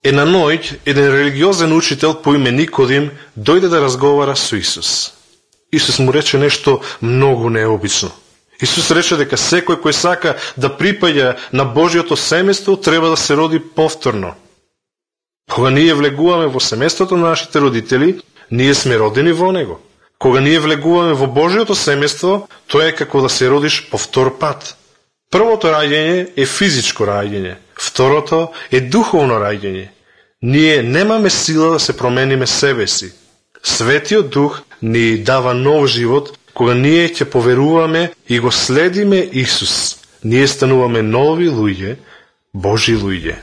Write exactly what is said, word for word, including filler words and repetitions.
Една ноќ, еден религиозен учител по име Никодим дојде да разговара со Исус. Исус му рече нешто многу необично. Исус рече дека секој кој сака да припаѓа на Божјото семејство треба да се роди повторно. Кога ние влегуваме во семејството на нашите родители, ние сме родени во него. Кога ние влегуваме во Божјото семејство, тоа е како да се родиш по втор пат. Првото раѓање е физичко раѓање, второто е духовно раѓање. Ние немаме сила да се промениме себе си. Светиот Дух ни дава нов живот, кога ние ќе поверуваме и го следиме Исус. Ние стануваме нови луѓе, Божи луѓе.